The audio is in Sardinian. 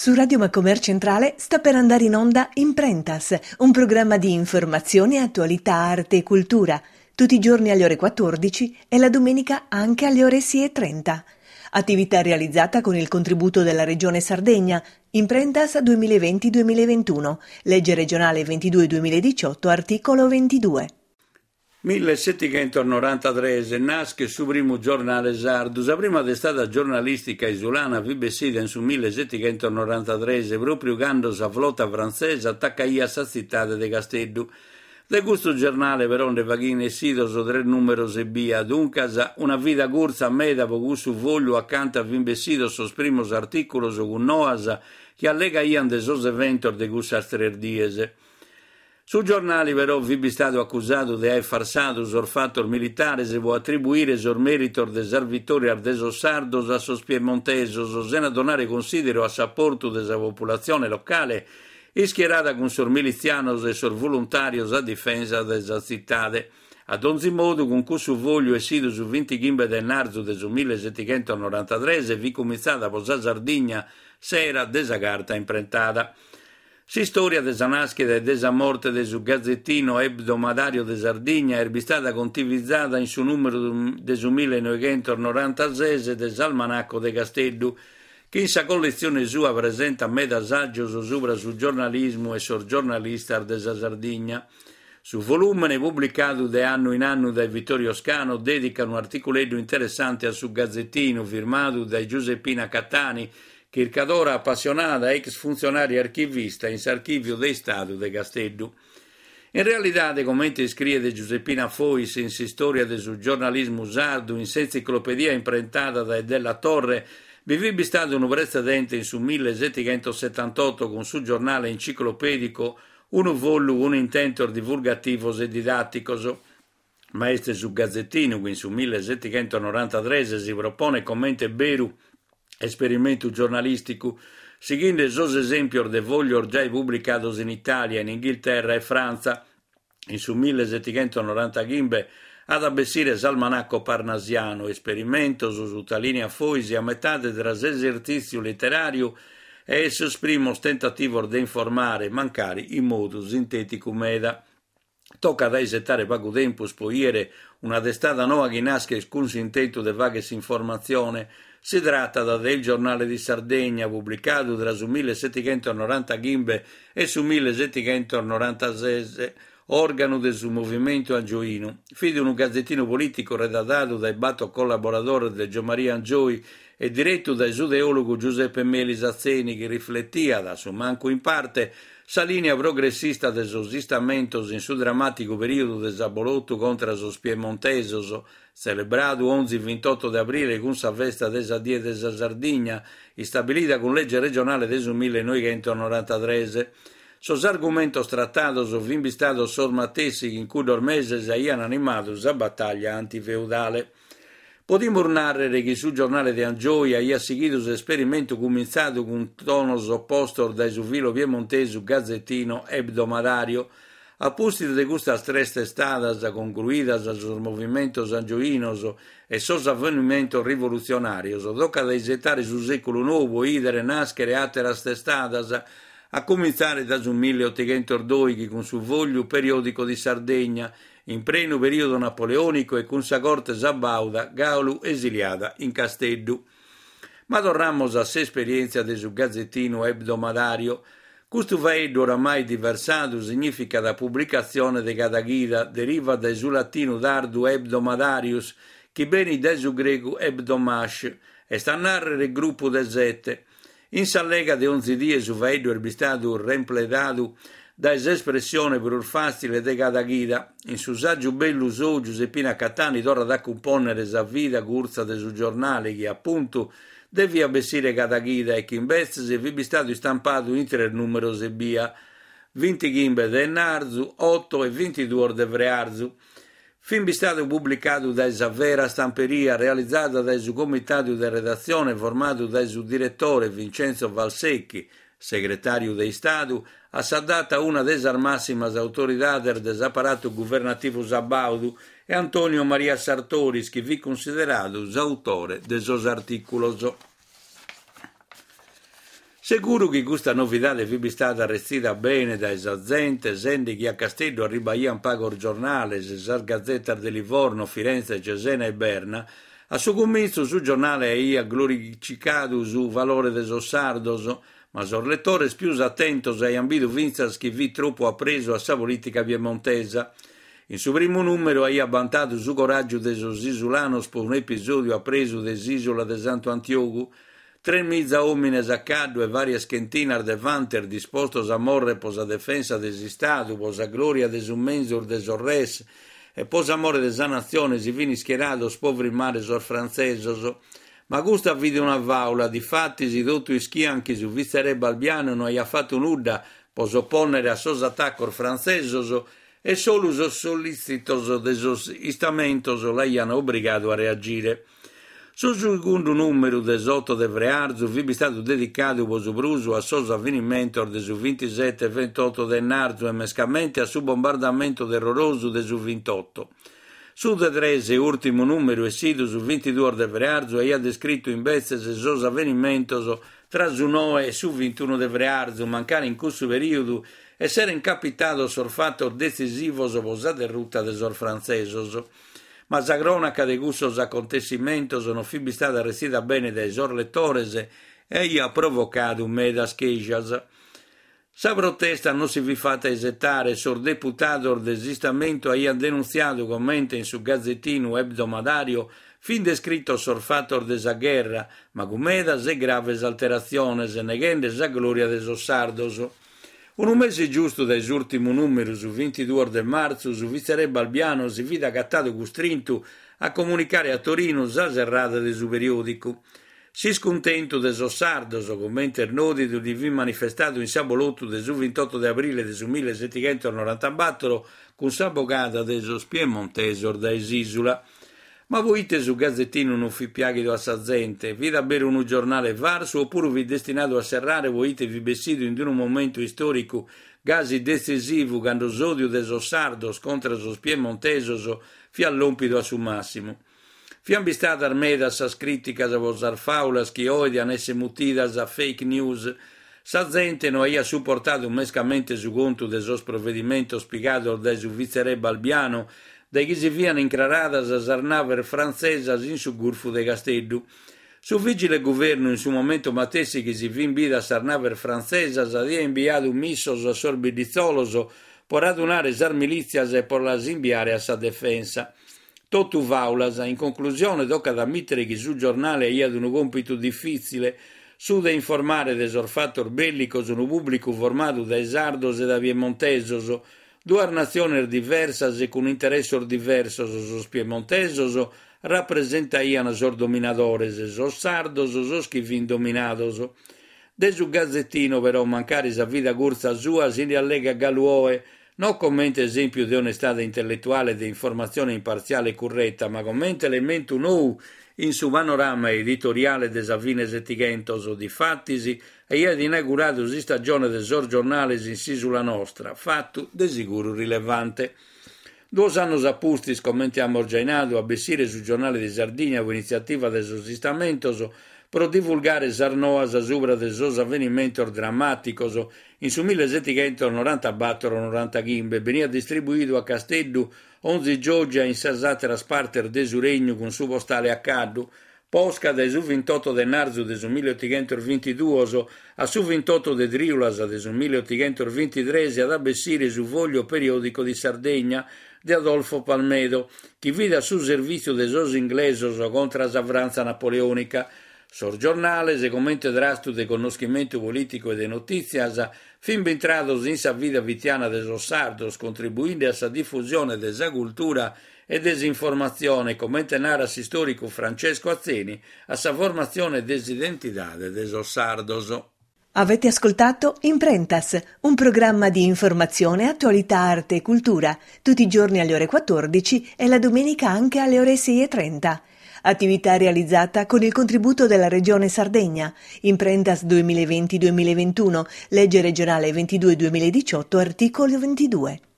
Su Radio Macomer Centrale sta per andare in onda Imprentas, un programma di informazione, attualità, arte e cultura, tutti i giorni alle ore 14 e la domenica anche alle ore 6.30. Attività realizzata con il contributo della Regione Sardegna, Imprentas 2020-2021, legge regionale 22-2018, articolo 22. Millesettighentos-norantatres, naschet su primu giornale sardu. Sa prima testada giornalìstica isulana fit bessida in su millesettighentos-norantatres, pròpriu cando sa flota frantzesa atacaiat sa tzitade de Casteddu. De custu giornale però nde faghian essidos tres nùmeros ebbia, duncas una vida curtza meda pro cussu fògliu acanta fin bessidos sos primos artìculos cun noas chi allegaian de sos eventos de cussas tres dies. Su giornale però fit bistadu acusadu de aer farsadu sos fatos militares pro atribuire sos mèritos de sas vitòrias de sos sardos a sos piemontesos, sena donare consideru a s'aportu de sa populatzione locale ischierada cun sos militzianos e sos voluntàrios a difensa de sa tzitade. A donzi modu, cun cussu fògliu essidu su bintighimbe de ennarzu de su millesetighentos-norantatres fit cumintzada pro sa Sardigna s'era de sa carta imprentada. S'istòria de sa nàschida e de sa morte de su Gazzettino Ebdomadario de Sardigna est bistada contivizada in su nùmeru de su millenoighentos-norantases de s'Almanacco de Casteddu, chi in sa colletzione sua presentat meda sàgios subra su giornalismu e sos giornalistas de sa Sardigna. Su volùmene, publicadu de annu in annu dae Vittorio Scano, dèdicat unu articuleddu interessante a su Gazettinu, firmadu dae Giuseppina Cattani, Chircadora apassionada, ex funtzionària archivista in s'Archìviu de Istadu de Casteddu. In realidade, comente iscriet Giuseppina Fois in s'Istòria de su giornalismu sardu in s'entziclopedia imprentada dae Della Torre, bi fit bistadu unu pretzedente in su millesetighentos-setantoto cun su giornale enciclopèdicu unu follu cun intentos divulgativos e didàticos. Ma est su Gazettinu chi in su millesetighentos-norantatres si proponet comente beru esperimentu giornalìsticu, sighende sos esèmpios de fòglios giai publicados in Itàlia, in Inghilterra e Frantza. In su millesetighentos-norantaghimbe at a bessire s'Almanacco Parnasiano, esperimentos, sutalìniat Fois, a metade tra s'esertzìtziu literàriu e sos primos tentativos de informare, mancari in modu sintèticu meda. Tocat a isetare pagu tempus pro 'ìere una testada noa chi naschet cun s'intentu de fàghere s'informatzione. Si tratat de Il Giornale di Sardegna, publicadu tra su millesetighentos-norantaghimbe e su millesetighentos-norantases, òrganu de su Movimentu Angioinu. Fit unu gazetinu polìticu redatadu dae bator collaboradores de Giommaria Angioy e diretu dae su teòlogu Giuseppe Melis Atzeni chi rifletiat, a su mancu in parte, sa lìnia progressista de sos Istamentos in su dramàticu perìodu de s'abolotu contra sos piemontesos, tzelebradu onzi vintotto de abrile cun sa festa de sa Die de sa Sardigna, istabilida cun lege regionale de su millenoighentos-norantatres. Sos argumentos tratados fin bistados sos matessi chi in cuddos meses aian animadu sa batàglia antifeudale. Podimus nàrrere chi su giornale de Angioy aiat sighidu s'esperimentu cumintzadu cun tonos opostos dae su filo piemontesu Gazzettino Ebdomadario. A pustis de custas tres testadas, congruidas sos movimentos angioinos e sos avenimentos rivolutzionàrios, tocat a isetare su sèculu nou pro ìdere nàschere àteras testadas, a cumintzare dae su milleotighentos-dòighi cun su Foglio Periodico di Sardegna, in prenu perìodu napoleònicu e cun sa corte sabàuda galu esiliada in Casteddu. Ma torramus a s'esperièntzia de su gazetinu ebdomadario. Custu faeddu oramai diversadu signìficat publicatzione de cada chida, derivat dae su latinu tardu hebdomadarius, chi benit dae su gregu hebdomash, est a nàrrere grupu de sete. In s'allega de onzi die su faeddu est bistadu rempledadu dae s'espressione prus fàtzile de cada chida. In su sàgiu bellu sou Giuseppina Cattani torrat a cumpònnere sa vida curtza de su giornale chi, apuntu, deviat bessire cada chida e chi imbetzes fit bistadu istampadu in tres nùmeros ebbia, bintighimbe de ennarzu, oto e bintiduos de frearzu. Fit bistadu publicadu dae sa Vera Stamperia, realizada dae su comitadu de redatzione formadu dae su diretore Vincenzo Valsecchi, segretàriu de Istadu, a sa data una de sas màssimas autoridades de s'aparatu guvernativu sabàudu, e Antonio Maria Sartoris, chi fit cunsideradu s'autore de sos artìculos. Seguru chi custa novidade fit bistada retzida bene dae sa zente, sende chi a Casteddu arribaiant pagos giornales, sas gazetas de Livorno, Firenze, Cesena e Berna. A su cumintzu su giornale aiat glorificadu su valore de sos sardos, ma sos letores pius atentos aiant bidu fintzas chi fit tropu apresu a sa polìtica piemontesa. In su primu nùmeru aiat bantadu su coràgiu de sos isulanos pro un'episòdiu apresu de s'ìsula de Santu Antiogu, Tremiza òmines a caddu e vàrias chentinas de fantes dispostos a morrer pro sa defensa de s'Istadu, pro sa glòria de su menzus de sos res e pro s'amore de sa natzione si fin ischierados pro frimmare sos frantzesos. Ma custa fit una fàula, difatis totu ischian chi su vitzeré Balbiano no aiat fatu nudda pro s'opònnere a sos atacos frantzesos e solu sos sollìtzitos de sos Istamentos l'aian obrigadu a reagire. Su segundu nùmeru de s'oto de frearzu fit bistadu dedicadu pro su prus a sos avenimentos de su vintisete e ventotto de ennarzu e mescamente a su bombardamentu terrorosu de su vintotto. Su de tres e ùrtimu nùmeru essidu su vintiduos de frearzu aiat descritu imbetzes sos avenimentos tra su noe e su vintunu de frearzu, mancari in cussu perìodu esseren capitados sos fatos detzisivos pro sa derruta de sos frantzesos. Ma sa crònaca de cussos acontessimentos non fit bistada retzida bene dae sos letores e aiat provocadu medas chèscias. Sa protesta non si fit fata isetare e sos deputados de s'Istamentu aiant denuntziadu comente in su gazetinu ebdomadario fin descritos sos fatos de sa gherra, ma cun medas e graves alteratziones, neghende sa glòria de sos sardos. Unu mese giustu dae s'ùrtimu nùmeru, su vintiduos de martzu, su vitzeré Balbiano si fit agatadu custrintu a comunicare a Torinu sa serrada de su periòdicu. S'iscuntentu de sos sardos, comente est nòdidu, si fit manifestadu in s'abolotu de su vintotto de abrile de su millisettighentos-norantabatoro cun sa bogada de sos piemontesos dae s'ìsula. Ma pro ite su gazetinu non fit piàghidu a sa zente? Fit a beru unu giornale farsu opuru fit destinadu a serrare pro ite fit bessidu in unu momentu istòricu gasi detzisivu cando s'òdiu de sos sardos contra sos piemontesos fiat lòmpidu a su màssimu? Fiant bistadas medas sas crìticas pro sas fàulas chi oe diant èssere mutidas fake news. Sa zente no aiat suportadu mescamente su contu de sos provedimentos pigados dae su vitzeré Balbiano dae chi si fiant incraradas sas naves frantzesas in su Gurfu de Casteddu. Su vìgile guvernu in su momentu matessi chi si fint bidas sas naves frantzesas aiat imbiadu missos a sos bidditzolos pro radunare sas milìtzias e pro las imbiare a sa defensa. Totu fàulas. In conclusione tocat a ammìtere chi su giornale aiat unu còmpitu difìtzile, su de informare de sos fatos bèllicos unu pùblicu formadu dae sardos e dae piemontesos, Duas natziones diversas e cun interessos diversos, sos piemontesos rapresentaiant sos dominadores, sos sardos sos chi fint dominados. De su Gazettino, però, mancari sa vida curtza sua, si nde allegat galu oe, non comente esèmpiu de onestade intelletuale e de informatzione impartziale e curreta, ma comente elementu nou in su panorama editoriale de sa fine Setighentos, difatis, aiat inauguradu s'istagione de sos giornales in s'ìsula nostra, fatu de siguru rilevante. Duos annos a pustis, comente amus giai nadu, at bessire su Giornale di Sardigna pro initziativa de sos Istamentos pro divulgare sas noas subra de sos avenimentos dramàticos in su millisettighentos-norantabator-norantaghimbe, beniat distribuidu a Casteddu onzi giògia e in sas àteras partes de su Regnu cun su postale a caddu, Posca, dae su vintotto de ennarzu de su milliottighentos-vintiduos a su vintotto de trìulas de su milliottighentos-vintitres at a bessire su Foglio Periodico di Sardegna de Adolfo Palmedo, chi fit a su servìtziu de sos inglesos contra sa Frantza napoleònica. Sos giornales, comente trastu de connoschimentu polìticu e de notìtzias, fin bintrados in sa vida fitiana de sos sardos, contribuinde a sa difusione de sa cultura e de s'informatzione, comente narat s'istòricu Francesco Atzeni, a sa formatzione de s'identidade de sos sardos. Avete ascoltato Imprentas, un programma di informazione, attualità, arte e cultura, tutti i giorni alle ore 14 e la domenica anche alle ore 6.30. Attività realizzata con il contributo della Regione Sardegna. Imprentas 2020-2021, legge regionale 22-2018, articolo 22.